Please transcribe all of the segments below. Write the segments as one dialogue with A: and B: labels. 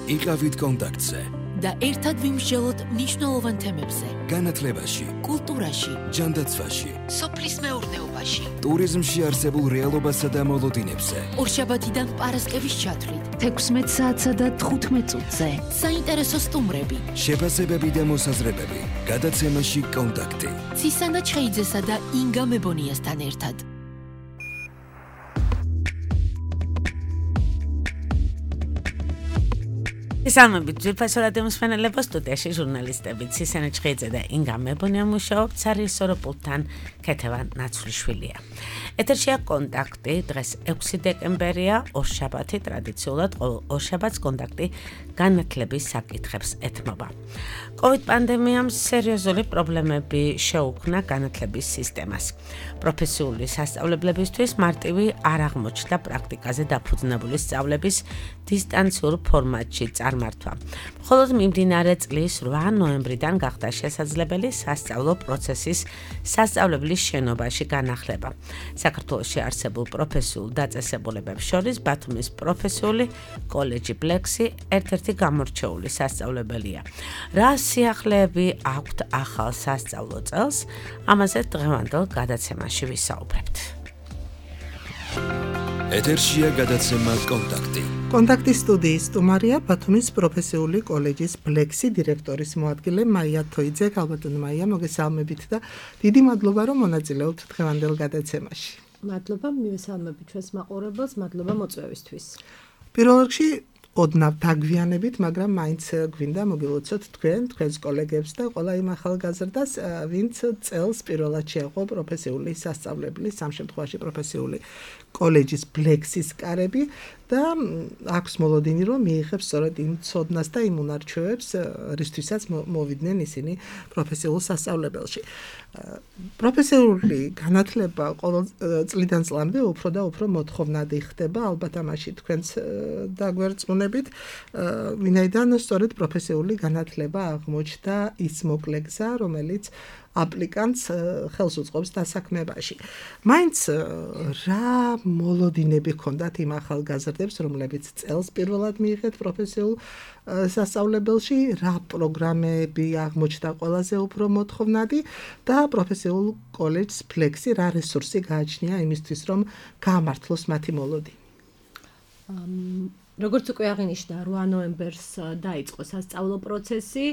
A: იყავით კონტაქტზე
B: და ერთად ვიმსჯელოთ მნიშვნელოვან თემებზე.
A: განათლებაში,
B: კულტურაში,
A: ჯანდაცვაში,
B: სოფლის მეურნეობაში,
A: ტურიზმში არსებულ რეალობასა და მოლოდინებზე.
B: ორშაბათიდან პარასკევის ჩათვლით
C: 16 საათსა და 15 წუთზე.
B: საინტერესო სტუმრები,
A: შეფასებები და მოსაზრებები. გადაცემაში კონტაქტი.
B: ცისანა ჩხეიძესა და ინგა მებონიასთან ერთად.
D: ისალმებით ძვირფასო რადიო მსმენელებო, სტუდიაში ჟურნალისტები ცისანა ჩხეიძე და ინგა მებონია მუშაობთ, სარიესო პულტთან ქეთევან ნაცვლიშვილია. ეთერშია კონტაქტი, დღეს 6 დეკემბერია, ორშაბათი, ტრადიციულად ყოველ ორშაბათს კონტაქტი განათლების საკითხებს ეთმობა. COVID პანდემიამ სერიოზული პრობლემები შეუქმნა განათლების სისტემას. პროფესიული სასწავლებლებისთვის მარტივი არ აღმოჩნდა პრაქტიკაზე დაფუძნებული სწავლების დისტანციურ ფორმატში წარმართვა. მხოლოდ მიმდინარე წლის 8 ნოემბრიდან გახდა შესაძლებელი სასწავლო პროცესის სასწავლებლის შენობაში განახლება. საქართველოში არსებულ პროფესიულ დაწესებულებებს შორის ბათუმის პროფესიული კოლეჯი ბლექსი ერთ-ერთი გამორჩეული სასწავლებელია. რა სიახლეები აქვთ ახალ სასწავლო წელს? ამაზე დღევანდელ გადაცემაში ვისაუბრებთ.
A: ეთერშია გადაცემა კონტაქტი.
E: კონტაქტის სტუდიის სტუმარია ბათუმის პროფესიული კოლეჯის ბლექსი დირექტორის მოადგილე მაია თოიძე. ალბათონ მაია, მოგესალმებით და დიდი მადლობა რომ მონაწილეობთ დღევანდელ გადაცემაში.
F: მადლობა მივესალმებით ჩვენს მაყურებელს, მადლობა მოწვევისთვის.
E: პირველ რიგში ოდნავ დაგვიანებით, მაგრამ მაინც გვინდა მოგილოცოთ თქვენს კოლეგებს და ყველა იმ ახალგაზრდას, ვინც წელს პირველად შეაყო პროფესიული სასწავლებლის, ამ შემთხვევაში პროფესიული კოლეჯის ბლექსის კარები და აქვს მოლოდინი, რომ მიიღებს სწორედ იმ ცოდნას და იმ უნარჩვევებს, რისთვისაც მოვიდნენ ისინი პროფესიულ სასწავლებელში. პროფესიული განათლება ყოველ წლიდან წლამდე უფრო და უფრო მოთხოვნადი ხდება, ალბათ ამაში თქვენც დაგვერწმუნებით, ვინაიდან სწორედ პროფესიული განათლება აღმოჩნდა ის მოკლე გზა, რომელიც აპლიკანტს ხელს უწყობს დასაქმებაში. მაინც რა მოლოდინები ჰქონდათ იმ ახალგაზრდებს, რომლებიც წელს პირველად მიიღეთ პროფესიულ სასწავლებელში, რა პროგრამები აღმოჩნდა ყველაზე უფრო მოთხოვნადი და პროფესიულ კოლეჯს ბლექსი რა რესურსი გააჩნია იმისთვის, რომ გაამართლოს მათი მოლოდინი?
F: როგორც უკვე აღინიშნა, 8 ნოემბერს დაიწყო სასწავლო პროცესი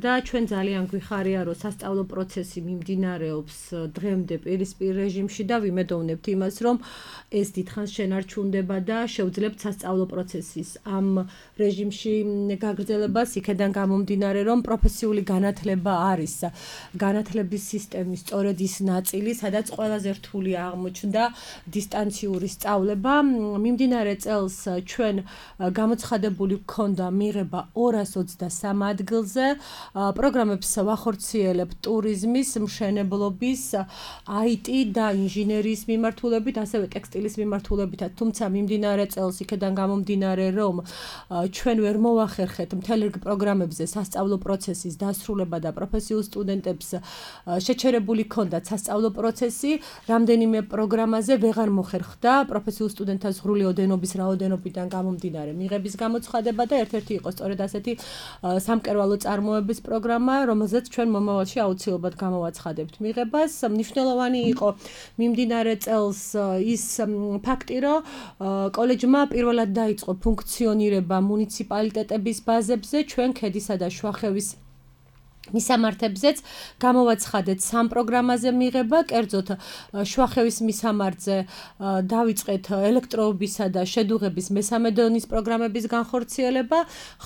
F: და ჩვენ ძალიან გვიხარია, რომ სასწავლო პროცესი მიმდინარეობს დღემდე პირისპირ რეჟიმში და ვიმედოვნებთ იმას, რომ ეს დიდხანს შენარჩუნდება და შეუძლებთ სასწავლო პროცესის ამ რეჟიმში გაგრძელებას, იქედან გამომდინარე, რომ პროფესიული განათლება არის განათლების სისტემის სწორედ ის ნაწილი, სადაც ყველაზე რთული აღმოჩნდა დისტანციური სწავლება. მიმდინარე წელს ჩვენ გამოცხადებული გქონდა მიღება 223 ადგილზე. პროგრამებს ვახორციელებთ ტურიზმის, მშენებლობის, IT და ინჟინერიის მიმართულებით, ასევე ტექსტილის მიმართულებითაც, თუმცა მიმდინარე წელს იქედან გამომდინარე, რომ ჩვენ ვერ მოვახერხეთ მთელ რიგ პროგრამებზე სასწავლო პროცესის დასრულება და პროფესიულ სტუდენტებს შეჩერებული ჰქონდათ სასწავლო პროცესი, რამდენიმე პროგრამაზე ვეღარ მოხერხდა პროფესიულ სტუდენტთა ზღვრული ოდენობის რაოდენობიდან გამომდინარე მიღების გამოცხადება და ერთ-ერთი იყო სწორედ ასეთი სამკერვალო წარმოების პროგრამა, რომელზეც ჩვენ მომავალში აუცილებლად გამოვაცხადებთ მიღებას. მნიშვნელოვანი იყო მიმდინარე წელს ის ფაქტი, რომ კოლეჯმა პირველად დაიწყო ფუნქციონირება მუნიციპალიტეტების ბაზებზე, ჩვენ ქედისა და შუახევის მისამართებზეც გამოვაცხადეთ 3 პროგრამაზე მიღება, კერძოდ შუახევის მისამართზე დავიწყეთ ელექტროობისა და შედუღების მესამე დონის პროგრამების განხორციელება,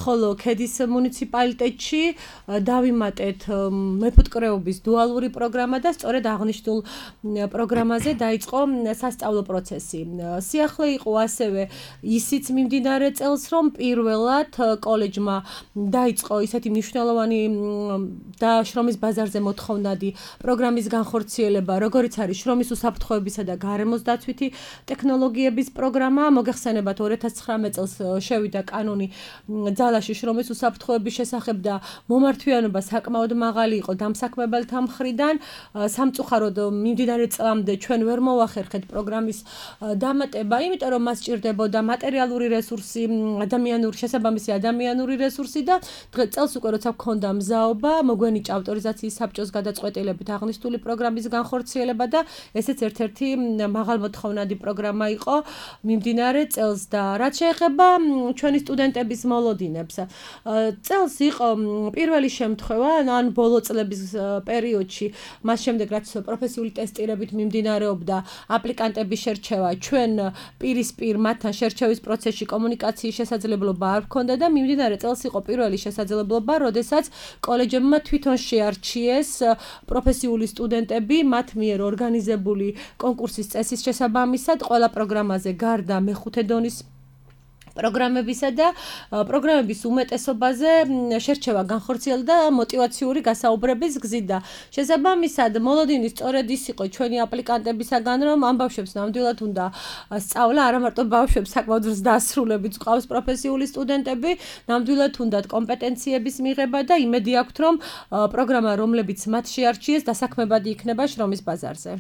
F: ხოლო ქედის მუნიციპალიტეტში დავიმატეთ მეფუტკრეობის დუალური პროგრამა და სწორედ აღნიშნულ პროგრამაზე დაიწყო სასწავლო პროცესი. სიახლე იყო ასევე ისიც მიმდინარე წელს, რომ პირველად კოლეჯმა დაიწყო ისეთი მნიშვნელოვანი და შრომის ბაზარზე მოთხოვნადი პროგრამის განხორციელება, როგორიც არის შრომის უსაფრთხოებისა და გარემოს დაცვითი ტექნოლოგიების პროგრამა. მოგეხსენებათ 2019 წელს შევიდა კანონი ძალაში შრომის უსაფრთხოების შესახებ და მომართვიანობა საკმაოდ მაღალი იყო დამსაქმებელთა მხრიდან. სამწუხაროდ მიმდინარე წლამდე ჩვენ ვერ მოვახერხეთ პროგრამის დამატება, იმიტომ რომ მას სჭირდებოდა მატერიალური რესურსი, შესაბამისი ადამიანური რესურსი და წელს უკვე როცა გქონდა მზაობა, მოგვენიჭა ავტორიზაციის საბჭოს გადაწყვეტილებით აღნიშნული პროგრამის განხორციელება და ესეც ერთ-ერთი მაღალმოთხოვნადი პროგრამა იყო მიმდინარე წელს და რაც შეეხება ჩვენი სტუდენტების მოლოდინებს. წელს იყო პირველი შემთხვევა, ან ბოლო წლების პერიოდში, მას შემდეგ რაც პროფესიული ტესტირებით მიმდინარეობდა აპლიკანტების შერჩევა, ჩვენ პირისპირ მათთან შერჩევის პროცესში კომუნიკაციის შესაძლებლობა არ ჰქონდა და მიმდინარე წელს იყო პირველი შესაძლებლობა, როდესაც კოლეჯებმა თვითონ შეარჩიეს პროფესიული სტუდენტები მათ მიერ ორგანიზებული კონკურსის წესის შესაბამისად ყველა პროგრამაზე გარდა მეხუთე დონის პროგრამებისა და პროგრამების უმეტესობაზე შერჩევა განხორციელდა мотиваციური გასაუბრების გზით და შესაბამისად მოლოდინი სწორედ ის იყო ჩვენი აპლიკანტებისაგან, რომ ამ ბავშვებს ნამდვილად უნდა სწავლა, არა მარტო ბავშვებს, საკმაოდ დასრულებით ყავს პროფესიული სტუდენტები, ნამდვილად უნდათ კომპეტენციების მიღება და იმედი აქვთ, რომ პროგრამა, რომლებიც მათ შეარჩიეს, დასაქმებადი იქნება შრომის ბაზარზე.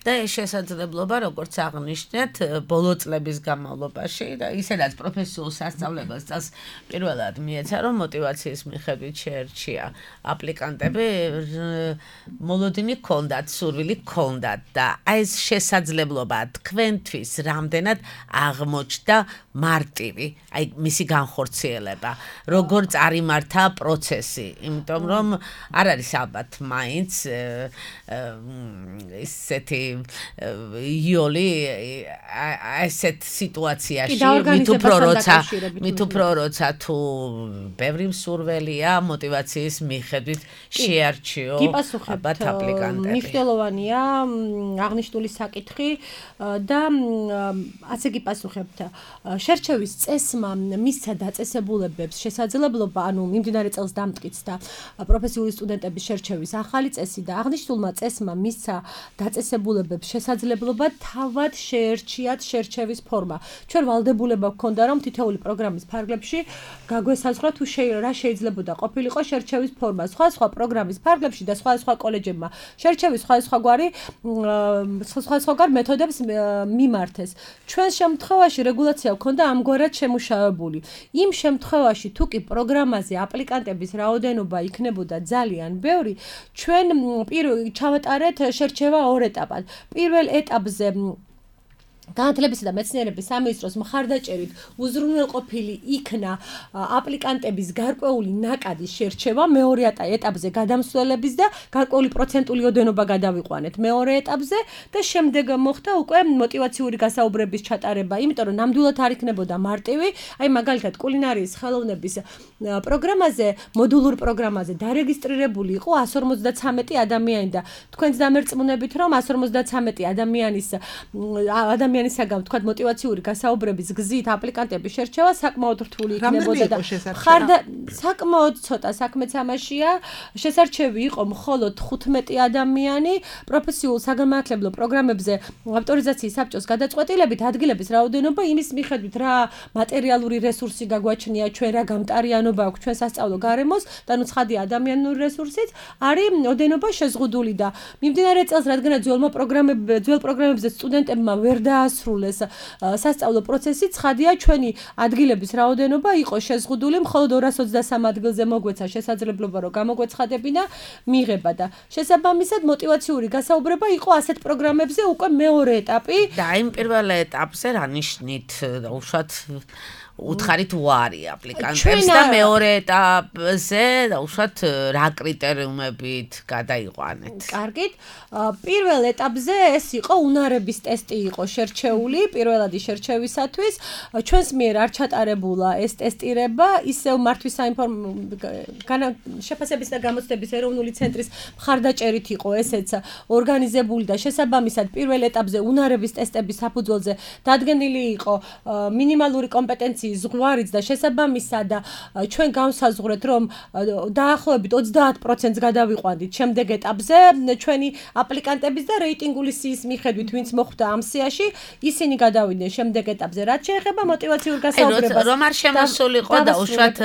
D: და ეს შესაძლებლობა, როგორც აღნიშნეთ, ბოლო წლების განმავლობაში და ისედაც პროფესიულ სასწავლებელს წელს პირველად მიეცა, რომ мотиваციის მიხედვით შეერჩია აპლიკანტები, მოლოდინი ჰქონდათ, სურვილი ჰქონდათ და აი ეს შესაძლებლობა თქვენთვის რამდენად აღმოჩნდა მარტივი, აი მისი განხორციელება, როგორ წარიმართა პროცესი, იმიტომ რომ არ არის ალბათ მაინც ისეთი იოლი ასეთ სიტუაციაში მით უფრო როცა თუ ბევრი მსურველია мотиваციის მიხედვით შეარჩიო ალბათ აპლიკანტები.
F: მნიშვნელოვანია აღნიშნული საკითხი და ასე გიპასუხებთ. შერჩევის წესმა მისცა დაწესებულებებს შესაძლებლობა, ანუ მიმდინარე წელს დამტკიცდა პროფესიული სტუდენტების შერჩევის ახალი წესი და აღნიშნულმა წესმა მისცა დაწესებულებებს შესაძლებლობა თავად შეერჩიათ შერჩევის ფორმა. ჩვენ ვალდებულება გქონდა, რომ თითოეული პროგრამის ფარგლებში გაგვესაზღვრა თუ რა შეიძლებოდა ყოფილიყო შერჩევის ფორმა. სხვა პროგრამის ფარგლებში და სხვა კოლეჯებმა შერჩევის სხვადასხვაგვარ მეთოდებს მიმართეს. ჩვენ შემთხვევაში რეგულაცია გქონდა ამგვარად შემუშავებული. იმ შემთხვევაში თუ კი პროგრამაზე აპლიკანტების რაოდენობა იქნებოდა ძალიან ბევრი, ჩვენ ჩავატარეთ შერჩევა ორ ეტაპად. პირველ ეტაპზე განათლებისა და მეცნიერების სამინისტროს მხარდაჭერით უზრუნველყოფილი იქნა აპლიკანტების გარკვეული ნაკადის შერჩევა მეორე ეტაპზე გადამსვლელების და გარკვეული პროცენტული ოდენობა გადავიყვანეთ მეორე ეტაპზე და შემდეგ მოხდა უკვე мотиваციური გასაუბრების ჩატარება, იმიტომ რომ ნამდვილად არ იქნებოდა მარტივი, აი მაგალითად კულინარიის ხელოვნების პროგრამაზე, მოდულურ პროგრამაზე დარეგისტრირებული იყო 153 ადამიანი და თქვენც დამერწმუნებით, რომ 153 ადამიანისაგან თქვა мотиваციური გასაუბრების გზით აპლიკანტების შერჩევა საკმაოდ რთული იქნებოდა და საკმაოდ ცოტა საქმეც ამაშია. შესარჩევი იყო მხოლოდ 15 ადამიანი პროფესიულ საგანმანათლებლო პროგრამებზე ავტორიზაციის საბჭოს გადაწყვეტილებით ადგილების რაოდენობა იმის მიხედვით რა მატერიალური რესურსი გაგვაჩნია ჩვენ, რა გამტარიანობა აქვს ჩვენ სასწავლო გარემოს და ნუ ცხადია ადამიანური რესურსიც არის ოდენობა შეზღუდული და მიმდინარე წელს რადგანაც ძველ პროგრამებზე სტუდენტებმა ვერ დაასრულეს სასწავლო პროცესი, ცხადია ჩვენი ადგილების რაოდენობა იყო შეზღუდული, მხოლოდ 223 ადგილზე მოგვეცა შესაძლებლობა, რომ გამოგვეცხადებინა მიღება და შესაბამისად мотиваციური გასაუბრება იყო ასეთ პროგრამებზე უკვე მეორე ეტაპი.
D: და იმ პირველ ეტაპზე რა ნიშნით უშუალოდ უთხარით უარი აპლიკანტებს და მეორე ეტაპზე უშუალოდ რა კრიტერიუმებით გადაიყვანეთ.
F: კარგით. პირველ ეტაპზე ეს იყო უნარების ტესტი იყო შერჩეული პირველადი შერჩევისათვის. ჩვენს მიერ არ ჩატარებულა ეს ტესტირება, ისევ მართვის შეფასების და გამოცდების ეროვნული ცენტრის მხარდაჭერით იყო ესეც ორგანიზებული და შესაბამისად პირველ ეტაპზე უნარების ტესტების საფუძველზე დადგენილი იყო მინიმალური კომპეტენცია კომისიის ზღვარიც და შესაბამისად ჩვენ განსაზღვრეთ, რომ დაახლოებით 30%-ს გადავიყვანდით შემდეგ ეტაპზე ჩვენი აპლიკანტების და რეიტინგული სიის მიხედვით, ვინც მოხვდა ამ სიაში, ისინი გადავიდნენ შემდეგ ეტაპზე. რაც შეეხება мотивაციურ გასაუბრებას,
D: რომ არ შემოსულიყო და უშუალოდ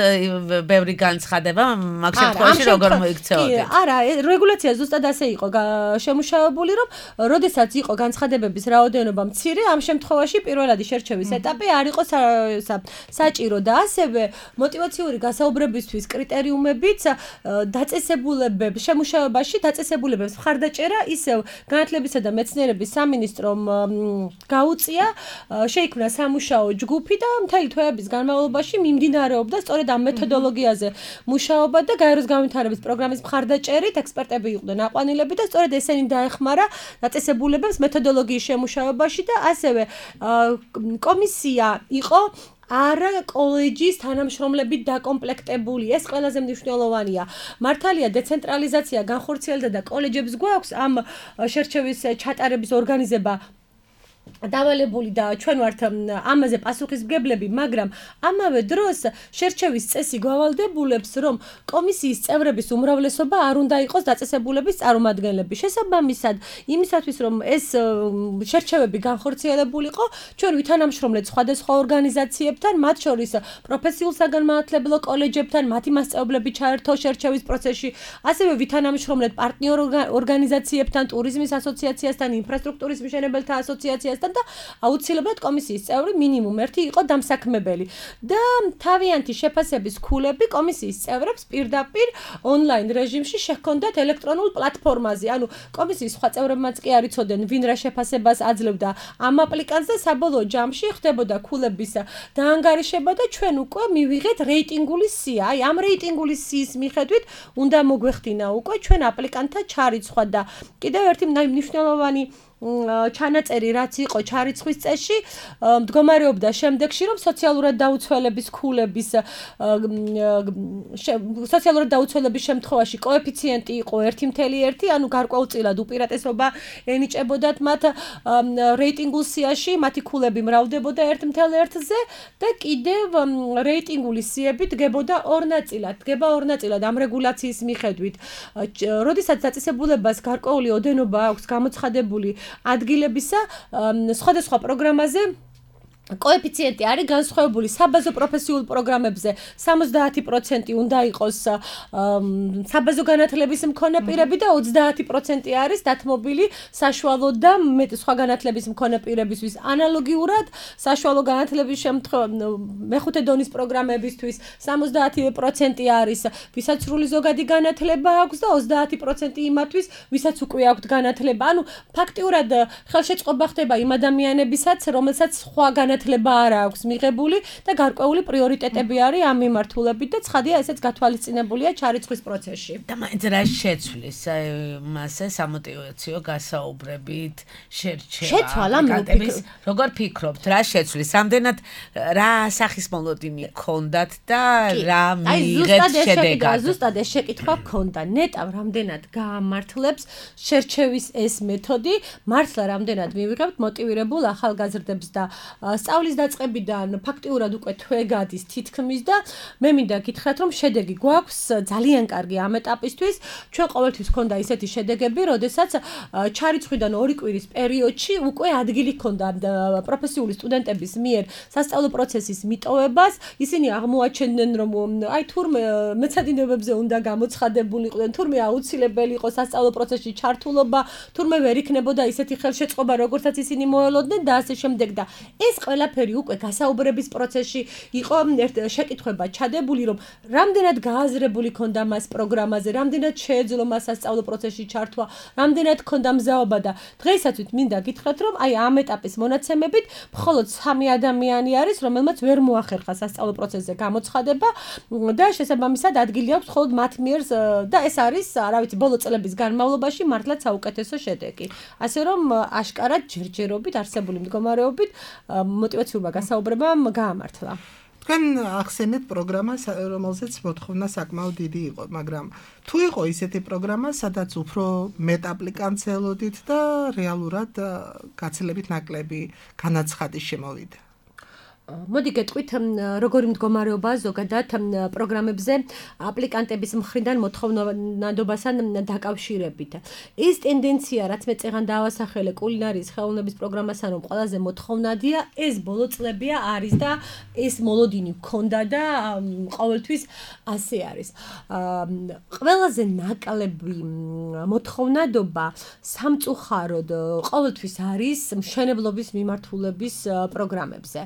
D: ბევრი განცხადება, მაგ შემთხვევაში როგორ მოიქცეოდეთ?
F: არა, რეგულაცია ზუსტად ასე იყო შემუშავებული, რომ როდესაც იყო განცხადებების რაოდენობა მცირე, ამ შემთხვევაში პირველადი შერჩევის ეტაპი არ იყო საჭირო და ასევე мотивაციური გასაუბრებისთვის კრიტერიუმებიც დაწესებულებებს შემუშავებაში დაწესებულებებს მხარდაჭერა ისევ განათლებისა და მეცნიერების სამინისტრომ გაუწია, შეიქმნა სამუშაო ჯგუფი და მთელი თვეების განმავლობაში მიმდინარეობდა სწორედ ამ მეთოდოლოგიაზე მუშაობა და გაეროს განვითარების პროგრამის მხარდაჭერით ექსპერტები იყვნენ აყვანილები და სწორედ ესენი დაეხმარა დაწესებულებებს მეთოდოლოგიის შემუშავებაში და ასევე კომისია იყო არა კოლეჯის თანამშრომლებით დაკომპლექტებული. ეს ყველაზე მნიშვნელოვანია. მართალია დეცენტრალიზაცია განხორციელდა და კოლეჯებს გვაქვს ამ შერჩევის ჩატარების ორგანიზება დავალებული და ჩვენ ვართ ამაზე პასუხისმგებლები, მაგრამ ამავე დროს შერჩევის წესი გვავალდებულებს, რომ კომისიის წევრების უმრავლესობა არ უნდა იყოს დაწესებულების წარმომადგენლები. შესაბამისად, იმისათვის რომ ეს შერჩევები განხორციელებულიყო, ჩვენ ვითანამშრომლეთ სხვადასხვა ორგანიზაციებთან, მათ შორის პროფესიულ საგანმანათლებლო კოლეჯებთან, მათი მასწავლებლები ჩაერთო შერჩევის პროცესში, ასევე ვითანამშრომლეთ პარტნიორ ორგანიზაციებთან, ტურიზმის ასოციაციასთან, ინფრასტრუქტურის მშენებელთა ასოციაციასთან და აუცილებლად კომისიის წევრი მინიმუმ ერთი იყო დამსაქმებელი და თავიანთი შეფასების ქულები კომისიის წევრებს პირდაპირ ონლაინ რეჟიმში შეჰქონდათ ელექტრონულ პლატფორმაზე. ანუ კომისიის სხვა წევრებმაც კი არ იცოდნენ ვინ რა შეფასებას აძლევდა ამ აპლიკანტს და საბოლოო ჯამში ხდებოდა ქულების დაანგარიშება და ჩვენ უკვე მივიღეთ რეიტინგული სია. აი ამ რეიტინგული სიის მიხედვით უნდა მოგვეხდინა უკვე ჩვენ აპლიკანტთა ჩარიცხვა და კიდევ ერთი მნიშვნელოვანი ჩანაწერი რაც იყო ჩარიცხვის წესში მდგომარეობდა შემდეგში რომ სოციალურად დაუცველების ქულების შემთხვევაში კოეფიციენტი იყო 1.1 ანუ გარკვეულწილად უპირატესობა ენიჭებოდათ მათ რეიტინგულ სიაში მათი ქულები მრავლდებოდა 1.1-ზე და კიდევ რეიტინგული სიები დგებოდა ორ ნაწილად ამ რეგულაციის მიხედვით როდესაც დაწესებულებას გარკვეული ოდენობა აქვს გამოცხადებული ადგილებისა სხვადასხვა პროგრამაზე კოეფიციენტი არის განსხვავებული საბაზო პროფესიულ პროგრამებზე 70% უნდა იყოს საბაზო განათლების მქონე პირები და 30% არის დათმობილი საშუალო და სხვა განათლების მქონე პირებისთვის ანალოგიურად საშუალო განათლების მეხუთე დონის პროგრამებისთვის 70% არის ვისაც სრული ზოგადი განათლება აქვს და 30% იმათთვის ვისაც უკვე აქვთ განათლება ანუ ფაქტიურად ხელშეწყობა ხდება იმ ადამიანებისაც რომელსაც სხვა განათლება არ აქვს მიღებული და გარკვეული პრიორიტეტები არის ამ მიმართულებით და ცხადია ესეც გათვალისწინებულია ჩარიცხვის პროცესში.
D: და მაინც რა შეცვლის მასე სამოტივაციო გასაუბრებით შერჩევა. როგორ ფიქრობთ, რა შეცვლის? რამდენად რა სახის მოლოდინი გქონდათ და რა მიიღეთ შედეგად?
F: ზუსტად ეს შეკითხვა გქონდა. ნეტავ რამდენად გაამართლებს შერჩევის ეს მეთოდი, მართლა რამდენად მივიღებთ მოტივირებულ ახალგაზრდებს და სწავლის დაწყებიდან ფაქტიურად უკვე თვე გადის თითქმის და მე მინდა გითხრათ რომ შედეგი გვაქვს ძალიან კარგი ამ ეტაპისთვის ჩვენ ყოველთვის გქონდა ისეთი შედეგები როდესაც ჩარიცხვიდან 2 კვირის პერიოდში უკვე ადგილი გქონდა პროფესიული სტუდენტების მიერ სასწავლო პროცესის მიტოვებას ისინი აღმოაჩენდნენ რომ აი თურმე მეცადინებებზე უნდა გამოცხადებულიყვნენ თურმე აუცილებელი იყო სასწავლო პროცესში ჩართულობა თურმე ვერ იქნებოდა ისეთი ხელშეწყობა როგორცაც ისინი მოელოდნენ და ასე შემდეგ და ეს ყველაფერი უკვე გასაუბრების პროცესში იყო შეკითხვება ჩადებული რომ რამდენად გააზრებული ქონდა მას პროგრამაზე, რამდენად შეეძლო მას სასწავლო პროცესში ჩართვა, რამდენად ქონდა მზაობა და დღეისათვის მინდა გითხრათ რომ აი ამ ეტაპის მონაცემებით მხოლოდ 3 ადამიანი არის რომელმაც ვერ მოახერხა სასწავლო პროცესზე გამოცხადება და შესაბამისად ადგილი აქვს მხოლოდ მათ მიერ და ეს არის რა ვიცი ბოლო წლების განმავლობაში მართლაც საუკეთესო შედეგი. ასე რომ აშკარად ჯერჯერობით არსებული მდგომარეობით мотивациურმა გასაუბრებამ გაამართლა.
E: თქვენ ახსენეთ პროგრამას, რომელზეც მოთხოვნა საკმაოდ დიდი იყო, მაგრამ თუ იყო ისეთი პროგრამა, სადაც უფრო მეტ აპლიკანტს ელოდით და რეალურად გაცილებით ნაკლები განაცხადი შემოვიდა.
F: მოდი გეტყვით როგორი მდგომარეობაა ზოგადად პროგრამებზე აპლიკანტების მხრიდან მოთხოვნადობასთან დაკავშირებით. ეს ტენდენცია, რაც მე წეგან დავასახელე კულინარიის ხელოვნების პროგრამასთან, რომ ყველაზე მოთხოვნადია, ეს ბოლო წლებია არის და ეს მოლოდინი გქონდა და ყოველთვის ასე არის. ყველაზე ნაკლები მოთხოვნადობა სამწუხაროდ ყოველთვის არის მშენებლობის მიმართულების პროგრამებზე.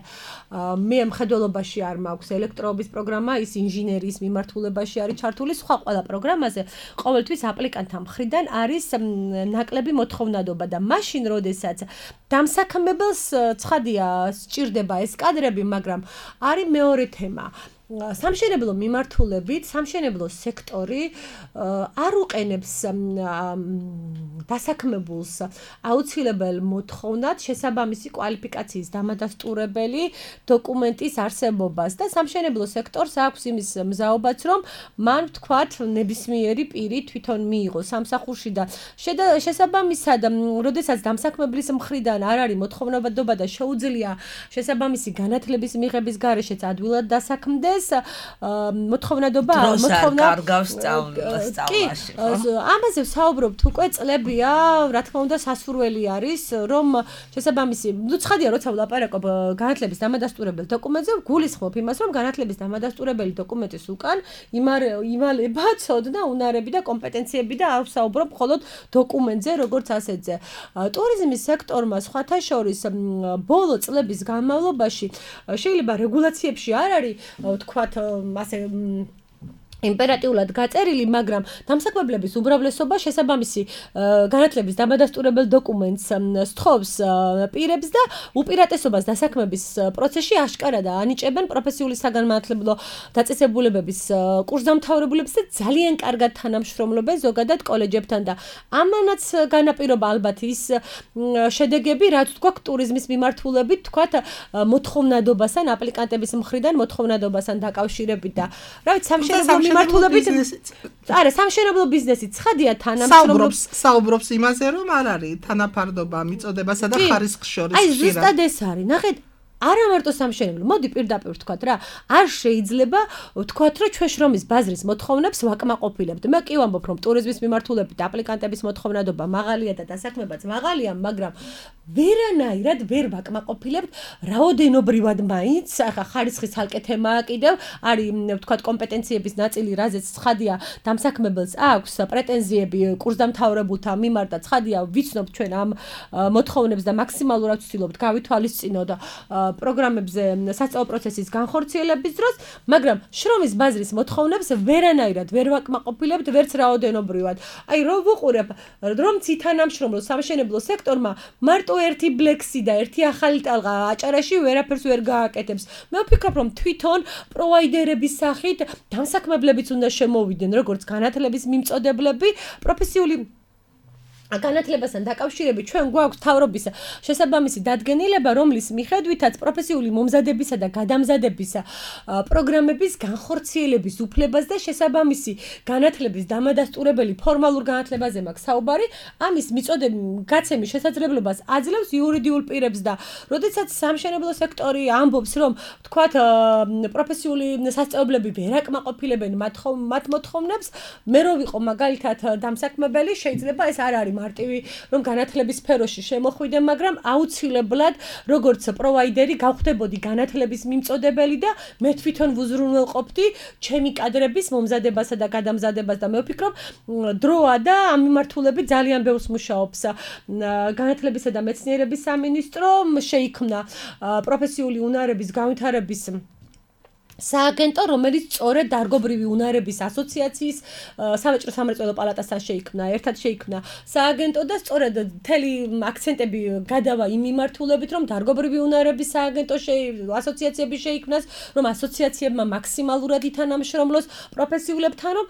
F: მე მხედველობაში არ მაქვს ელექტროობის პროგრამა, ის ინჟინერიის მიმართულებაში არის ჩართული, სხვა ყველა პროგრამაზე ყოველთვის აპლიკანტთა მხრიდან არის ნაკლები მოთხოვნადობა და მაშინ, როდესაც დამსაქმებელს ცხადია სჭირდება ეს კადრები, მაგრამ არის მეორე თემა. სამშენებლო მიმართულებით, სამშენებლო სექტორი არ უყენებს დასაქმებულს აუცილებელ მოთხოვნად შესაბამისი კვალიფიკაციის დამადასტურებელი დოკუმენტის არსებობას და სამშენებლო სექტორს აქვს იმის მზაობაც, რომ მან ვთქვათ ნებისმიერი პირი თვითონ მიიღოს სამსახურში და შესაბამისად, როდესაც დამსაქმებლის მხრიდან არ არის მოთხოვნადობა და შეუძლია შესაბამისი განათლების მიღების გარეშეც ადვილად დასაქმდეს მოთხოვნადობა
D: კარგავს სწავლაში.
F: ამაზე ვსაუბრობთ უკვე წლებია, რა თქმა უნდა, სასურველი არის, რომ შესაბამისი, ცხადია, როცა ვლაპარაკობ განათლების დამადასტურებელ დოკუმენტზე, გულისხმობ იმას, რომ განათლების დამადასტურებელი დოკუმენტის უკან იმალება ცოდნა, უნარები და კომპეტენციები და არ ვსაუბრობ მხოლოდ დოკუმენტზე, როგორც ასეთზე. ტურიზმის სექტორმა სხვათა შორის ბოლო წლების განმავლობაში შეიძლება რეგულაციებში არ არის ვთქვათ, ასე იმპერატიულად გაწერილი, მაგრამ დამსაქმებლების უმრავლესობა შესაბამისი განათლების დამადასტურებელ დოკუმენტს სთხოვს პირებს და უპირატესობას დასაქმების პროცესში აშკარად ანიჭებენ პროფესიული საგანმანათლებლო დაწესებულებების კურსდამთავრებულებს და ძალიან კარგად თანამშრომლობენ ზოგადად კოლეჯებთან და ამანაც განაპირობა ალბათ ის შედეგები, რაც გვაქვს ტურიზმის მიმართულებით, თქვათ მოთხოვნადობასთან, აპლიკანტების მხრიდან მოთხოვნადობასთან დაკავშირებით და რა ვიცი, სამშენებლო მიმართულებით არა სამშენებლო ბიზნესი ცხადია
E: საუბრობს იმაზე, რომ არ არის თანაფარდობა მიწოდებასა და ხარისხს შორის.
F: აი ზუსტად ეს არის. ნახეთ, არა მარტო სამშენებლო, მოდი პირდაპირ ვთქვათ რა, არ შეიძლება ვთქვათ, რომ ჩვენ შრომის ბაზრის მოთხოვნებს ვაკმაყოფილებთ. მე კი ვამბობ, რომ ტურიზმის მიმართულებით აპლიკანტების მოთხოვნადობა მაღალია და დასაქმებაც მაღალია, მაგრამ ვერანაირად ვერ ვაკმაყოფილებთ რაოდენობრივად მაინც, ახლა ხარისხის ცალკე თემაა კიდევ, არის ვთქვათ კომპეტენციების ნაწილი, რაზეც ცხადია დამსაქმებელს აქვს პრეტენზიები კურსდამთავრებულთა მიმართ და ცხადია ვიცნობთ ჩვენ ამ მოთხოვნებს და მაქსიმალურად ვცდილობთ გავითვალისწინოთ პროგრამებზე სასწავლო პროცესის განხორციელების დროს, მაგრამ შრომის ბაზრის მოთხოვნებს ვერანაირად ვერ ვაკმაყოფილებთ ვერც რაოდენობრივად. აი რომ ვუყურებ, რომ ცითანამშრომლო სამშენებლო სექტორმა მარტო ერთი ბლექსი და ერთი ახალი ტალღა აჭარაში ვერაფერს ვერ გააკეთებს. მე ვფიქრობ, რომ თვითონ პროვაიდერების სახით დამსაქმებლებიც უნდა შემოვიდნენ, როგორც განათლების მიმწოდებლები, პროფესიული განათლებასთან დაკავშირებით ჩვენ გვაქვს თავრობის შესაბამისი დადგენილება, რომლის მიხედვითაც პროფესიული მომზადებისა და გადამზადების პროგრამების განხორციელების უფლებას და შესაბამისი განათლების დამადასტურებელი ფორმალურ განათლებაზე მაქვს საუბარი, ამის გაცემის შესაძლებლობას აძლევს იურიდიულ პირებს და როდესაც სამშენებლო სექტორი ამბობს, რომ თქვათ პროფესიული სასწავლებლები ვერ აკმაყოფილებენ მათ მოთხოვნებს, მე რო ვიყო მაგალითად დამსაქმებელი, შეიძლება ეს არ არის მარტივი, რომ განათლების სფეროში შემოხვიდე, მაგრამ აუცილებლად როგორც პროვაიდერი გავხდებოდი განათლების მიმწოდებელი და მე თვითონ ვუზრუნველყოფდი ჩემი კადრების მომზადებასა და გადამზადებას და მე ვფიქრობ, დროა და ამ მიმართულებით ძალიან ბევრს მუშაობს განათლებისა და მეცნიერების სამინისტრო, შეიქმნა პროფესიული უნარების განვითარების სააგენტო, რომელიც სწორედ დარგობრივი უნარების ასოციაციის სავაჭრო სამრეწველო პალატასთან ერთად შეიქმნა სააგენტო და სწორედ მთელი აქცენტები გადავა იმ მიმართულებით, რომ დარგობრივი უნარების სააგენტო ასოციაციები შეიქმნას, რომ ასოციაციებმა მაქსიმალურად ითანამშრომლოს პროფესიულებთან, რომ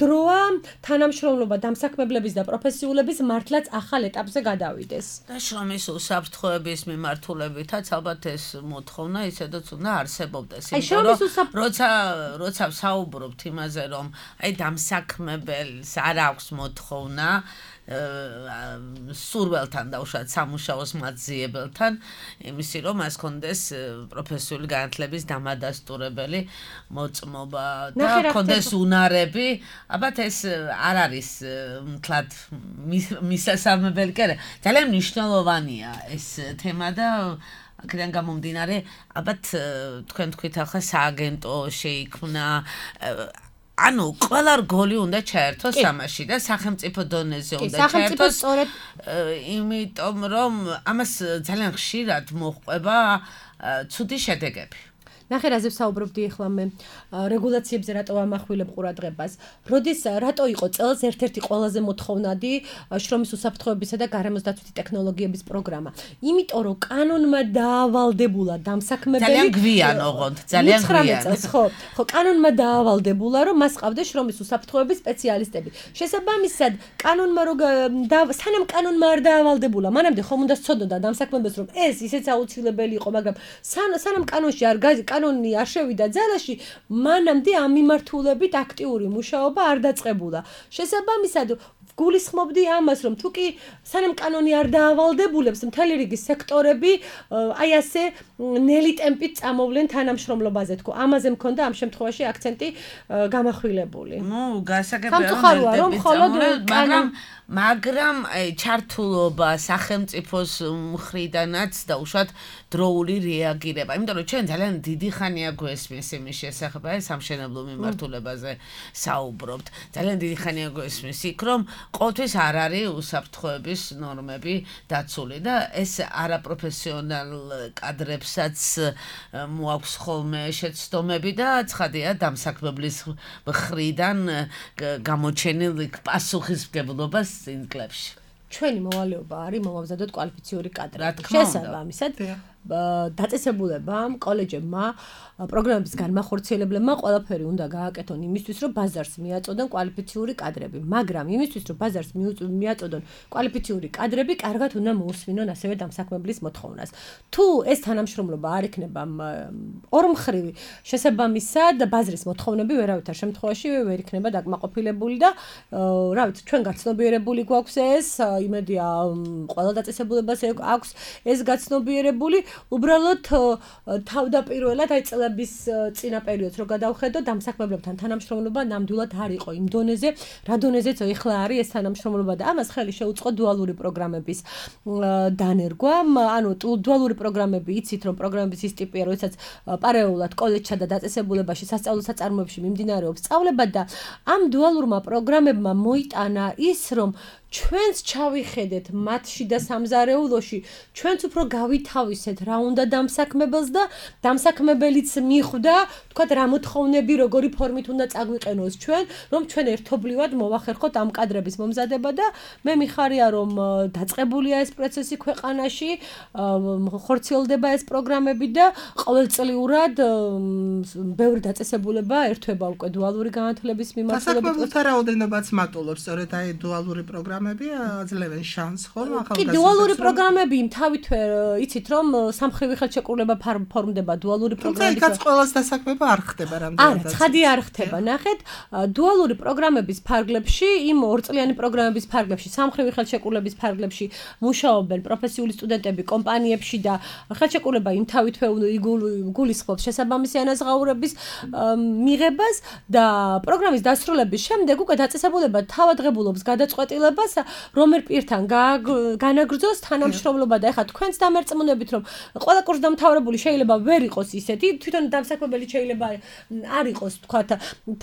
F: დროა თანამშრომლობა დამსაქმებლების და პროფესიულების მართლაც ახალ ეტაპზე გადავიდეს.
D: და შრომის უსაფრთხოების მიმართულებითაც ალბათ ეს მოთხოვნა ისედაც უნდა არსებობდეს.
F: შრომის
D: როცა საუბრობთ იმაზე, რომ აი დამსაქმებელს არ აქვს მოთხოვნა სურველთან დაუშვათ სამუშაოს მაძიებელთან იმისი რომ მას კონდეს პროფესიული განათლების დამადასტურებელი მოწმობა და კონდეს უნარები, ალბათ ეს არ არის მთლად მისასალმებელი კი არა, ძალიან მნიშვნელოვანია ეს თემა და აქედან გამომდინარე ალბათ თქვენ თქვით ახლა სააგენტო შეიქმნა ანუ ყველა რგოლი უნდა ჩაერთოს ამაში და სახელმწიფო დონეზე უნდა ჩაერთოს იმიტომ რომ ამას ძალიან ხშირად მოჰყვება ცუდი შედეგები
F: ნახე რაზე ვსაუბრობდი ახლა მე რეგულაციებზე რატო ამახვილებ ყურადღებას როდის რატო იყო წელს ერთ-ერთი ყველაზე მოთხოვნადი შრომის უსაფრთხოებისა და გარემოს დაცვითი ტექნოლოგიების პროგრამა იმიტომ რომ კანონმა დაავალდებულა დამსაქმებელი
D: ძალიან გვიან ოღონდ ძალიან გვიან
F: ხო კანონმა დაავალდებულა რომ მას ყავდეს შრომის უსაფრთხოების სპეციალისტები შესაბამისად კანონმა სანამ კანონმა არ დაავალდებულა მანამდე ხომ უნდა სწოდოდა დამსაქმებელს რომ ეს ისეც აუცილებელი იყო მაგრამ სანამ კანონში კანონი არ შევიდა ძალაში, მანამდე ამ მიმართულებით აქტიური მუშაობა არ დაწყებულა. შესაბამისად, გულისხმობდი ამას, რომ თუ კი სანამ კანონი არ დაავალდებულებს, მთელი რიგი სექტორები აი ასე ნელი ტემპით წამოვლენ თანამშრომლობაზე თქო. ამაზე მქონდა ამ შემთხვევაში აქცენტი გამახვილებული.
D: ნუ, გასაგებია რომ მხოლოდ მაგრამ ჩართულობა სახელმწიფოს მხრიდანაც დაუშვათ დროული რეაგირება. იმიტომ რომ ჩვენ ძალიან დიდი ხანია გვესმის იმის შესახებ, აი სამშენებლო მიმართულებაზე საუბრობთ. ძალიან დიდი ხანია გვესმის იქ, რომ ყოველთვის არ არის უსაფრთხოების ნორმები დაცული და ეს არაპროფესიონალ კადრებსაც მოაქვს ხოლმე შეცდომები და ცხადია დამსაქმებლის მხრიდან გამოჩენილი პასუხისმგებლობას წინ წლებში.
F: ჩვენი მოვალეობა არის მომავზადოთ კვალიფიციური კადრები. შესაბამისად დაწესებულებამ, კოლეჯებმა, პროგრამების განმახორციელებლებმა ყველაფერი უნდა გააკეთონ იმისთვის, რომ ბაზარს მიაწოდონ კვალიფიციური კადრები, მაგრამ იმისთვის, რომ ბაზარს მიაწოდონ კვალიფიციური კადრები, კარგად უნდა მოусვინონ ასევე დამსაქმებლის მოთხოვნას. თუ ეს თანამშრომლობა არ იქნება ორმხრივი, შესაბამისად ბაზრის მოთხოვნები ვერავითარ შემთხვევაში ვერ იქნება დაკმაყოფილებული და რა ვიცი, ჩვენ გაცნობიერებული გვაქვს ეს, იმედია ყველა დაწესებულებას აქვს ეს გაცნობიერებული უბრალოდ თავდაპირველად აი წლების წინა პერიოდს რო გადავხედო დამსაქმებლებთან თანამშრომლობა ნამდვილად არ იყო იმ დონეზე, რა დონეზეც ეხლა არის ეს თანამშრომლობა და ამას ხელი შეუწყო დუალური პროგრამების დანერგვა. ანუ დუალური პროგრამები იცით რომ პროგრამების ის ტიპია, როდესაც პარალელურად კოლეჯსა და დაწესებულებაში სასწავლო საწარმოებში მიმდინარეობს სწავლება და ამ დუალურმა პროგრამებმა მოიტანა ის რომ ჩვენც ჩავიხედეთ მათში და სამზარეულოში, ჩვენც უფრო გავითავისეთ რა უნდა დამსაქმებელს და დამსაქმებელიც მიხვდა, თქვათ რა მოთხოვნები, როგორი ფორმით უნდა წაგვიყენოს ჩვენ, რომ ჩვენ ერთობლივად მოვახერხოთ ამ კადრების მომზადება და მე მიხარია რომ დაწყებულია ეს პროცესი ქვეყანაში, ხორციელდება ეს პროგრამები და ყოველწლიურად ბევრი დაწესებულება ერთვება უკვე დუალური განათლების მიმართულებით.
E: დასაქმებულთა რაოდენობაც მატულობს, სწორედ აი დუალური პროგრამები აძლევენ შანსს ხოლმე ახალგაზრდებს.
F: კი, დუალური პროგრამები თავითვე იცით რომ სამხრივი ხელშეკრულება ფორმდება დუალური პროგრამების.
E: თუმცა იქაც ყველას დასაქმება არ ხდება რამდენადაც.
F: არა, ცხადი არ ხდება. ნახეთ, დუალური პროგრამების ფარგლებში, იმ ორწლიანი პროგრამების ფარგლებში, სამხრივი ხელშეკრულების ფარგლებში მუშაობენ პროფესიული სტუდენტები კომპანიებში და ხელშეკრულება იმ თავითვე გულისხმობს შესაბამისი ანაზღაურების მიღებას და პროგრამის დასრულების შემდეგ უკვე დაწესებულება თავადღებულობს გადაწყვეტილებას რომელ პირთან განაგრძოს თანამშრომლობა და ეხლა თქვენც დამერწმუნებით რომ ყველა კურსდამთავრებული შეიძლება ვერ იყოს ისეთი თვითონ დამსაქმებელი შეიძლება არ იყოს თქვათ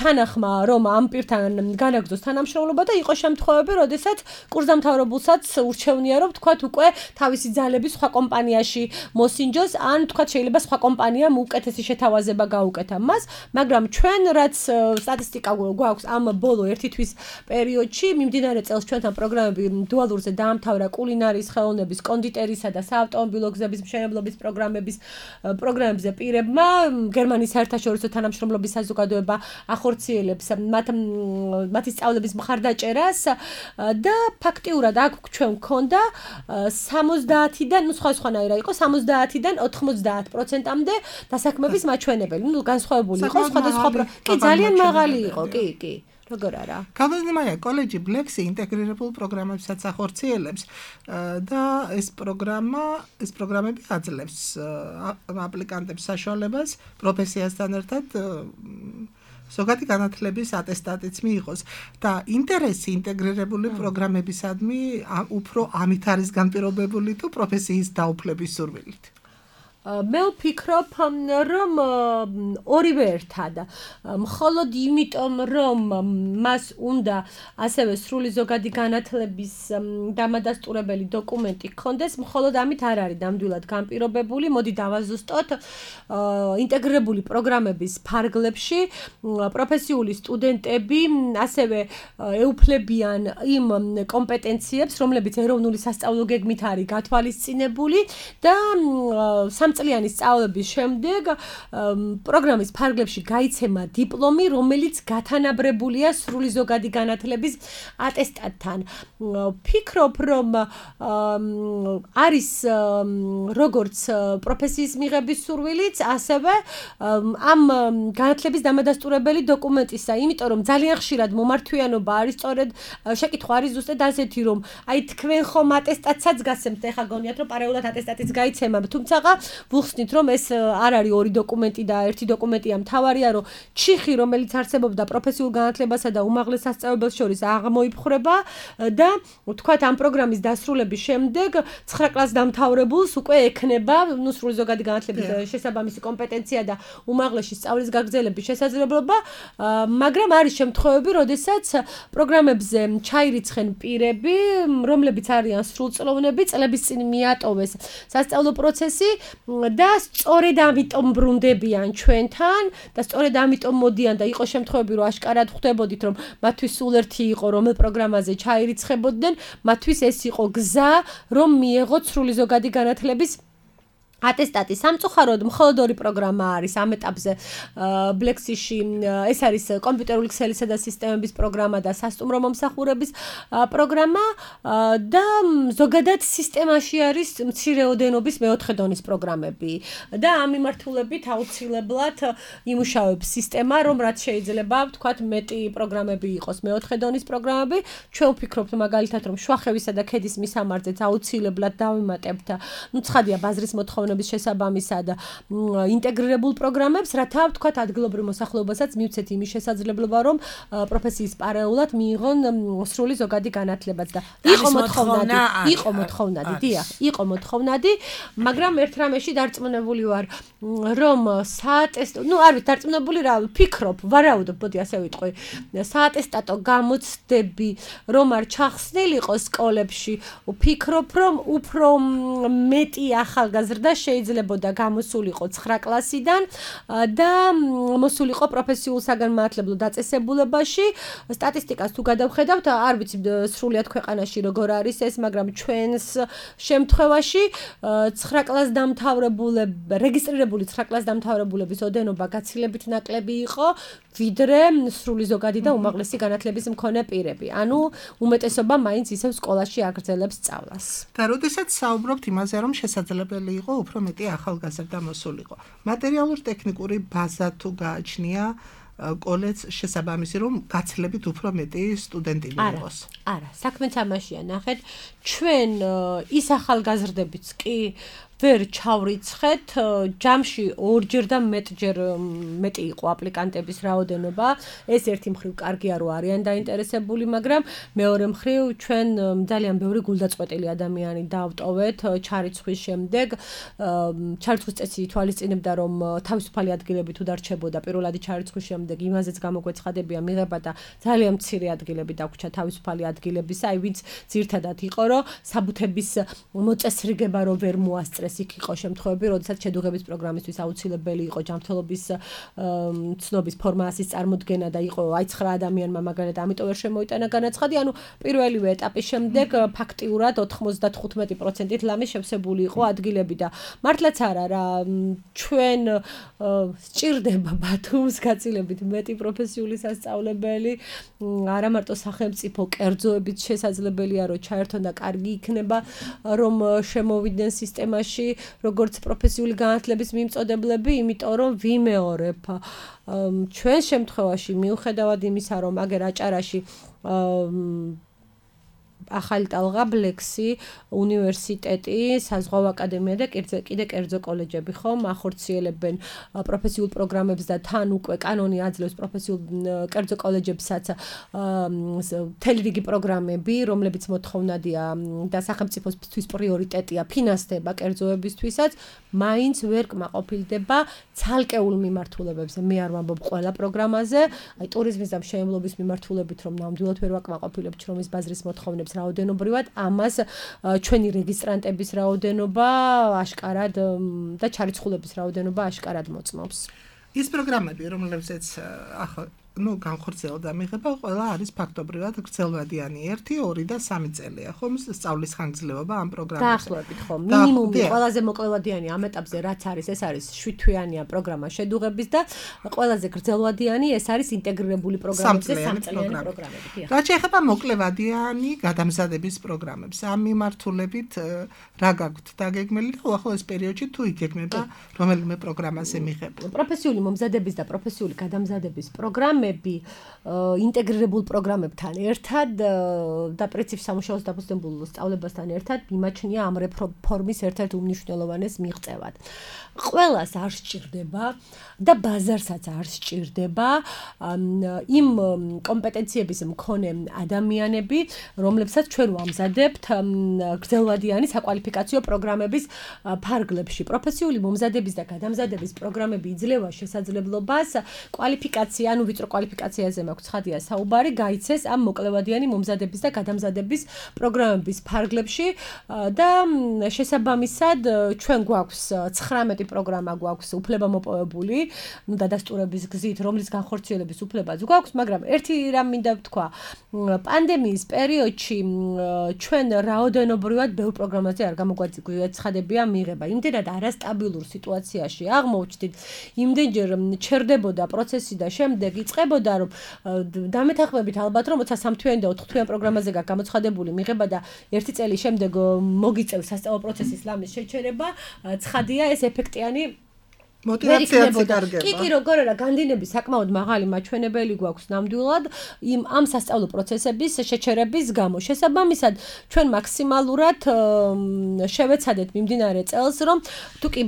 F: თანახმა რომ ამ პირთან განაგრძოს თანამშრომლობა და იყოს შემთხვევები როდესაც კურსდამთავრებულსაც ურჩევნია რომ თქვათ უკვე თავისი ძალები სხვა კომპანიაში მოსინჯოს ან თქვათ შეიძლება სხვა კომპანიამ უკეთესი შეთავაზება გაუკეთა მას მაგრამ ჩვენ რაც სტატისტიკა გვაქვს ამ ბოლო ერთი თვის პერიოდში მიმდინარე წელს ჩვენთან პროგრამები დუალურზე დაამთავრა კულინარიის ხელოვნების, კონდიტერისა და საავტომობილო გზების მშენებლობის პროგრამებზე პირებმა გერმანიის საერთაშორისო თანამშრომლობის საზოგადოება ახორციელებს მათი სწავლების მხარდაჭერას და ფაქტიურად აქ ჩვენ გვქონდა 70-დან, სხვანაირად იყო 70-დან 90%-მდე დასაქმების მაჩვენებელი. განსხვავებული იყო სხვადასხვა კი ძალიან მაღალი იყო, კი. როგორ არა?
E: გავლენილია კოლეჯი ბლექსი ინტეგრირებულ პროგრამებსაც ახორციელებს და ეს პროგრამები აძლევს აპლიკანტებს საშუალებას პროფესიასთან ერთად ზოგადი განათლების ატესტატიც მიიღოს და ინტერესი ინტეგრირებული პროგრამებისადმი უფრო ამით არის განპირობებული თუ პროფესიის დაუფლების სურვილით.
F: მე ვფიქრობ, რომ ორივე ერთად. მხოლოდ იმიტომ, რომ მას უნდა ასევე სრული ზოგადი განათლების დამადასტურებელი დოკუმენტი ჰქონდეს, მხოლოდ ამით არ არის ნამდვილად განპირობებული. მოდი დავაზუსტოთ. ინტეგრირებული პროგრამების ფარგლებში პროფესიული სტუდენტები ასევე ეუფლებიან იმ კომპეტენციებს, რომლებიც ეროვნული სასწავლო გეგმით არის გათვალისწინებული და წლიანი სწავლების შემდეგ პროგრამის ფარგლებში გაიცემა დიპლომი, რომელიც გათანაბრებულია სრული ზოგადი განათლების ატესტატთან. ვფიქრობ, რომ არის როგორც პროფესიის მიღების სურვილიც, ასევე ამ განათლების დამადასტურებელი დოკუმენტისა, იმიტომ რომ ძალიან ხშირად მომართვიანობა არის სწორედ შეკითხვა არის ზუსტად ასეთი, რომ აი თქვენ ხომ ატესტატსაც გასცემთ, ეხლა გონიათ რომ პარალელურად ატესტატიც გაიცემა, თუმცა ვუხსნით, რომ ეს არ არის ორი დოკუმენტი და ერთი დოკუმენტია, მთავარია, რომ ჩიხი, რომელიც არსებობდა პროფესიულ განათლებასა და უმაღლეს სასწავლებელს შორის აღმოიფხრება და ვთქვათ, ამ პროგრამის დასრულების შემდეგ 9 კლასს დამთავრებულს უკვე ექნება სრული ზოგადი განათლების შესაბამისი კომპეტენცია და უმაღლესი სწავლის გაგრძელების შესაძლებლობა, მაგრამ არის შემთხვევები, როდესაც პროგრამებზე ჩაირიცხენ პირები, რომლებიც არიან სრულწლოვნები, წლების წინ მიატოვეს სასწავლო პროცესი და სწორედ ამიტომ ბრუნდებიან ჩვენთან და სწორედ ამიტომ მოდიან და იყო შემთხვევები, რომ აშკარად ხვდებოდით, რომ მათთვის სულ ერთი იყო, რომელ პროგრამაზე ჩაირიცხებოდნენ, მათთვის ეს იყო გზა, რომ მიეღოთ სრული ზოგადი განათლების ატესტატი. სამწუხაროდ მხოლოდ ორი პროგრამა არის ამ ეტაპზე ბლექსიში, ეს არის კომპიუტერული ქსელისა და სისტემების პროგრამა და სასტუმრო მომსახურების პროგრამა და ზოგადად სისტემაში არის მცირეოდენობის მეოთხე დონის პროგრამები და ამ მიმართულებით აუცილებლად იმუშავებს სისტემა, რომ რაც შეიძლება ვთქვათ მეტი პროგრამები იყოს მეოთხე დონის პროგრამები. ჩვენ ვფიქრობთ მაგალითად, რომ შუახევისა და ქედის მისამართზეც აუცილებლად დავიმატებთ ცხადია ბაზრის მოთხოვნების შესაბამისად ინტეგრირებულ პროგრამებს, რათა ვთქვათ ადგილობრივ მოსახლეობასაც მივცეთ იმის შესაძლებლობა, რომ პროფესიის პარალელურად მიიღონ სრული ზოგადი განათლებაც და იყო მოთხოვნადი, დიახ, იყო მოთხოვნადი, მაგრამ ერთ რამეში დარწმუნებული ვარ, რომ საატესტო, არ ვიცი, დარწმუნებული რა ვფიქრობ, ვარაუდობ, მოდი ასე ვიტყვი, საატესტატო გამოცდები რომ არ ჩახსნილიყო სკოლებში, ვფიქრობ, რომ უფრო მეტი ახალგაზრდა შეიძლებოდა გამოსულიყო 9 კლასიდან და მოსულიყო პროფესიულ საგანმანათლებლო დაწესებულებაში. სტატისტიკას თუ გადავხედავთ, არ ვიცი სრულად ქვეყანაში როგორ არის ეს, მაგრამ ჩვენს შემთხვევაში 9 კლასს რეგისტრირებული 9 კლასს დამთავრებულების ოდენობა გაცილებით ნაკლები იყო, ვიდრე სრული ზოგადი და უმაღლესი განათლების მქონე პირები. ანუ უმეტესობა მაინც ისევ სკოლაში აგრძელებს სწავლას.
E: და როდესაც საუბრობთ იმაზე, რომ შესაძლებელი იყო უფრო მეტი ახალგაზრდა მოსულიყო. მატერიალურ-ტექნიკური ბაზა თუ გააჩნია კოლეჯს შესაბამისი, რომ გაცილებით უფრო მეტი სტუდენტი მიიღოს.
F: არა, საქმეც ამაშია, ნახეთ, ჩვენ ის ახალგაზრდებიც კი ვერ ჩავრიცხეთ, ჯამში ორჯერ და მეტჯერ მეტი იყო აპლიკანტების რაოდენობა. ეს ერთი მხრივ კარგია, რომ არიან დაინტერესებული, მაგრამ მეორე მხრივ ჩვენ ძალიან ბევრი გულდაწყვეტილი ადამიანი დავტოვეთ ჩარიცხვის შემდეგ. ჩარიცხვის წესი ითვალისწინებდა, რომ თავისუფალი ადგილები თუ დარჩებოდა პირველადი ჩარიცხვის შემდეგ, იმაზეც გამოგვეცხადებია მიღება და ძალიან მცირე ადგილები დაგვრჩა თავისუფალი ადგილებისა, აი ვინც ძირთადად იყო, რომ საბუთების მოწესრიგება რო ვერ მოასწრეს უმეტეს იქ იყო შემთხვევები, როდესაც შედუღების პროგრამისთვის აუცილებელი იყო ჯანმრთელობის ცნობის ფორმასის წარმოდგენა და იყო აი 9 ადამიანმა მაგალითად ამიტომ ვერ შემოიტანა განაცხადი, ანუ პირველივე ეტაპის შემდეგ ფაქტიურად 95%-ით ლამის შევსებული იყო ადგილები და მართლაც არა რა ჩვენ სჭირდება ბათუმს გაცილებით მეტი პროფესიული სასწავლებელი, არა მარტო სახელმწიფო კერძოებით შესაძლებელია რომ ჩაერთონ და კარგი იქნება რომ შემოვიდნენ სისტემაში როგორც პროფესიული განათლების მიმწოდებლები, იმიტომ რომ ვიმეორებ ჩვენ შემთხვევაში მიუხედავად იმისა რომ აგერ აჭარაში ახალი ტალღაბლექსი, უნივერსიტეტი, საზღვაო აკადემია და კიდე კერძო კოლეჯები ხომ ახორციელებენ პროფესიულ პროგრამებს და თან უკვე კანონი აძლევს პროფესიულ კერძო კოლეჯებსაც მთელი რიგი პროგრამები, რომლებიც მოთხოვნადია და სახელმწიფოსთვის პრიორიტეტია ფინანსდება კერძოებისთვისაც, მაინც ვერ კმაყოფილდება ცალკეულ მიმართულებებზე. მე არ ვამბობ ყველა პროგრამაზე, აი ტურიზმის და მშენებლობის მიმართულებით რომ ნამდვილად ვერ ვაკმაყოფილებთ შრომის ბაზრის მოთხოვნებს რაოდენობრივად, ამას ჩვენი რეგისტრანტების რაოდენობა აშკარად და ჩარიცხულების რაოდენობა აშკარად მოწმობს.
E: ის პროგრამები, რომლებზეც ახლა განხორციელდა მიღება, ყველა არის ფაქტობრივად გრძელვადიანი 1, 2 და 3 წელია, ხომ სწავლის ხანგრძლივობა ამ პროგრამებზე.
F: დაახლოებით ხო, მინიმუმი ყველაზე მოკლევადიანი ამ ეტაპზე რაც არის, ეს არის 7 თვიანია პროგრამა შედუღების და ყველაზე გრძელვადიანი ეს არის ინტეგრირებული პროგრამებზე 3 წლიანი პროგრამები.
E: რაც შეეხება მოკლევადიანი გადამზადების პროგრამებს, ამ მიმართულებით რა გაქვთ დაგეგმილი და უახლოეს პერიოდში თუ იგეგმება რომელიმე პროგრამაზე მიღება.
F: პროფესიული მომზადების და პროფესიული გადამზადების პროგრამები ინტეგრირებულ პროგრამებთან ერთად და პრინციპ სამუშაოს დაფუძნებულ სწავლებასთან ერთად მიმაჩნია ამ რეფორმის ერთ-ერთ უმნიშვნელოვანეს მიღწევად. ყველას არ სჭირდება და ბაზარსაც არ სჭირდება იმ კომპეტენციების მქონე ადამიანები, რომლებსაც ჩვენ ვამზადებთ გრძელვადიანი საკვალიფიკაციო პროგრამების ფარგლებში. პროფესიული მომზადების და გადამზადების პროგრამები იძლევა შესაძლებლობას კვალიფიკაცია, ანუ ვიწრო კვალიფიკაციაზე მაქვს ცხადია საუბარი, გაიცეს ამ მოკლევადიანი მომზადების და გადამზადების პროგრამების ფარგლებში და შესაბამისად ჩვენ გვაქვს 19 პროგრამა გვაქვს უფლებამოპოვებული, დადასტურების გზით, რომლის განხორციელების უფლებაც გვაქვს, მაგრამ ერთი რამ მინდა ვთქვა, პანდემიის პერიოდში ჩვენ რაოდენობრივად ბევრ პროგრამაზე არ გამოგვაცხადებია მიღება. იმდენად არასტაბილურ სიტუაციაში აღმოჩნდით, იმდენჯერ ჩერდებოდა პროცესი და შემდეგ იწყებოდა რომ დამეთანხმებით ალბათ რომ 23 თვიანი და 4 თვიანი პროგრამაზე გაქვს გამოცხადებული მიღება და 1 წელი შემდეგ მოგიწევს სასწავლო პროცესის ლამის შეჩერება, ცხადია ეს ეფექტიანი
E: მოტივაციაც იკარგება.
F: კი, როგორ არა, განდინები საკმაოდ მაღალი მაჩვენებელი გვაქვს ნამდვილად ამ სასწავლო პროცესების შეჩერების გამო. შესაბამისად, ჩვენ მაქსიმალურად შევეცადეთ მიმდინარე წელს, რომ თუ კი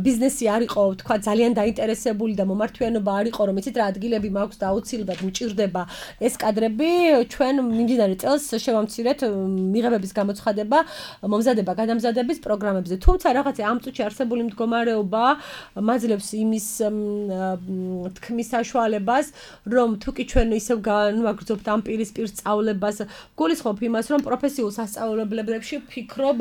F: ბიზნესი არ იყო, თქვა ძალიან დაინტერესებული და მომართვიანობა არ იყო, რომ იცით რა ადგილები მაქვს და აუცილებლად მჭირდება ეს კადრები, ჩვენ მიმდინარე წელს შევამცირეთ მიღებების გამოცხადება, მომზადება, გადამზადების პროგრამებზე. თუმცა რაღაცა ამ წუთში არსებული მდგომარეობა მაძლევს იმის თქმის საშუალებას, რომ თუ კი ჩვენ ისევ განვაგრძობთ ამ პირისპირ სწავლებას, გულისხმობ იმას, რომ პროფესიულ სასწავლებლებში ვფიქრობ,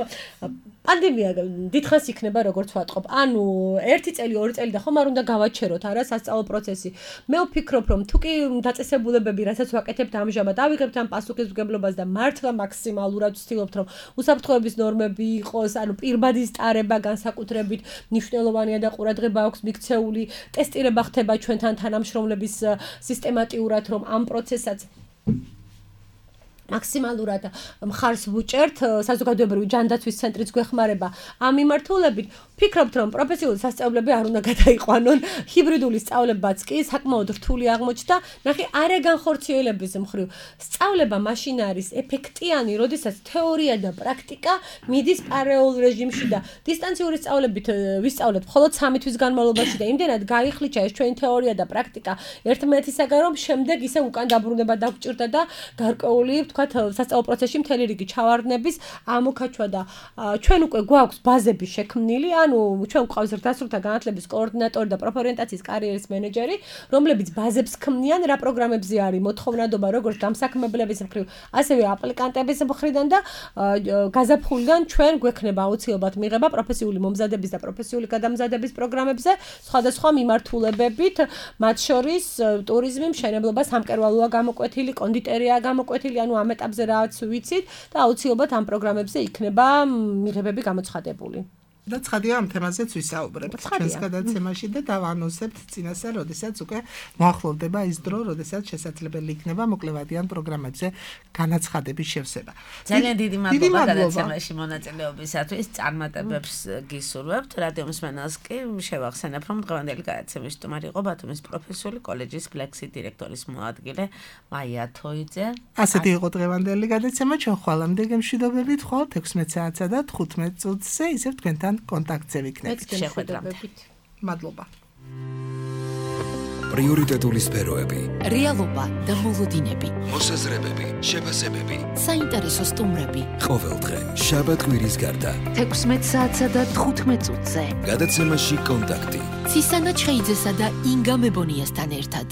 F: პანდემია დიდხანს იქნება, როგორც ვატყობ. ანუ 1 წელი, 2 წელი და ხომ არ უნდა გავაჩეროთ არა სასწავლო პროცესი. მე ვფიქრობ, რომ თუ კი დაწესებულებები, რასაც ვაკეთებთ ამჟამად, ავიღებთ ამ პასუხისმგებლობას და მართლა მაქსიმალურად ვცდილობთ, რომ უსაფრთხოების ნორმები იყოს, ანუ პირბადის ტარება განსაკუთრებით მნიშვნელოვანია და ყურადღება აქვს მიქცეული, ტესტირება ხდება ჩვენთან თანამშრომლების სისტემატიურად, რომ ამ პროცესაც მაქსიმალურად მხარს ვუჭერთ, საზოგადოებრივი ჯანდაცვის ცენტრიც გვეხმარება ამ მიმართულებით. ვფიქრობთ, რომ პროფესიული სასწავლებლები არ უნდა გადაიყვანონ, ჰიბრიდული სწავლებაც კი საკმაოდ რთული აღმოჩნდა. ნახე, არაგანხორციელების მხრივ სწავლება მაშინ არის ეფექტიანი, როდესაც თეორია და პრაქტიკა მიდის პარალელურ რეჟიმში და დისტანციური სწავლებით ვისწავლეთ მხოლოდ 3 თვის განმავლობაში და იმდენად გაიხლიჩა ეს ჩვენი თეორია და პრაქტიკა ერთმანეთისაგან, რომ შემდეგ ისე უკან დაბრუნება დაგვჭირდა და გარკვეული ვთქვათ, სასწავლო პროცესში მთელი რიგი ჩავარდნების ამოქაჩვა და ჩვენ უკვე გვაქვს ბაზები შექმნილი, ანუ ჩვენ გვყავს დასრულთა განათლების კოორდინატორი და პროფორიენტაციის კარიერის მენეჯერი, რომლებიც ბაზებს ქმნიან, რა პროგრამებზე არის მოთხოვნადობა, როგორც დამსაქმებლების მხრივ, ასევე აპლიკანტების მხრიდან და გაზაფხულიდან ჩვენ გვექნება აუცილებლად მიღება პროფესიული მომზადების და პროფესიული გადამზადების პროგრამებზე სხვადასხვა მიმართულებებით, მათ შორის ტურიზმი, მშენებლობა, სამკერვალოა გამოკვეთილი, კონდიტერია გამოკვეთილი, ანუ ამ ეტაპზე რაც ვიცით და აუცილებლად ამ პროგრამებზე იქნება მიღებები გამოცხადებული.
E: და ცხადია ამ თემაზეც ვისაუბრებთ ჩვენს გადაცემაში და დავანონსებთ წინასწარ, როდესაც უკვე მოახლოვდება ის დრო, როდესაც შესაძლებელი იქნება მოკლევადიან პროგრამებზე განაცხადების შევსება.
D: ძალიან დიდი მადლობა გადაცემაში მონაწილეობისათვის. წარმატებებს გისურვებთ. რადიო მსმენელს კი შევახსენებ, რომ დღევანდელი გადაცემის სტუმარი იყო ბათუმის პროფესიული კოლეჯის ფლექსი დირექტორის მოადგილე მაია თოიძე.
E: ასეთი იყო დღევანდელი გადაცემა. ჩვენ ხვალამდე გემშვიდობებით ხვალთ 16 საათსა და 15 წუთზე, ისევ თქვენთან კონტაქტზე ვიქნებით.
F: შეხვედრამდე.
E: მადლობა.
A: პრიორიტეტული სფეროები,
B: რეალობა და მოლოდინები,
A: მოსაზრებები, შეფასებები,
B: საინტერესო სტუმრები.
A: ყოველდღე შაბათ-კვირის გარდა
C: 16 საათსა და 15 წუთზე.
A: გადაცემაში კონტაქტი.
B: ცისანა ჩხეიძესა და ინგა მებონიასთან ერთად.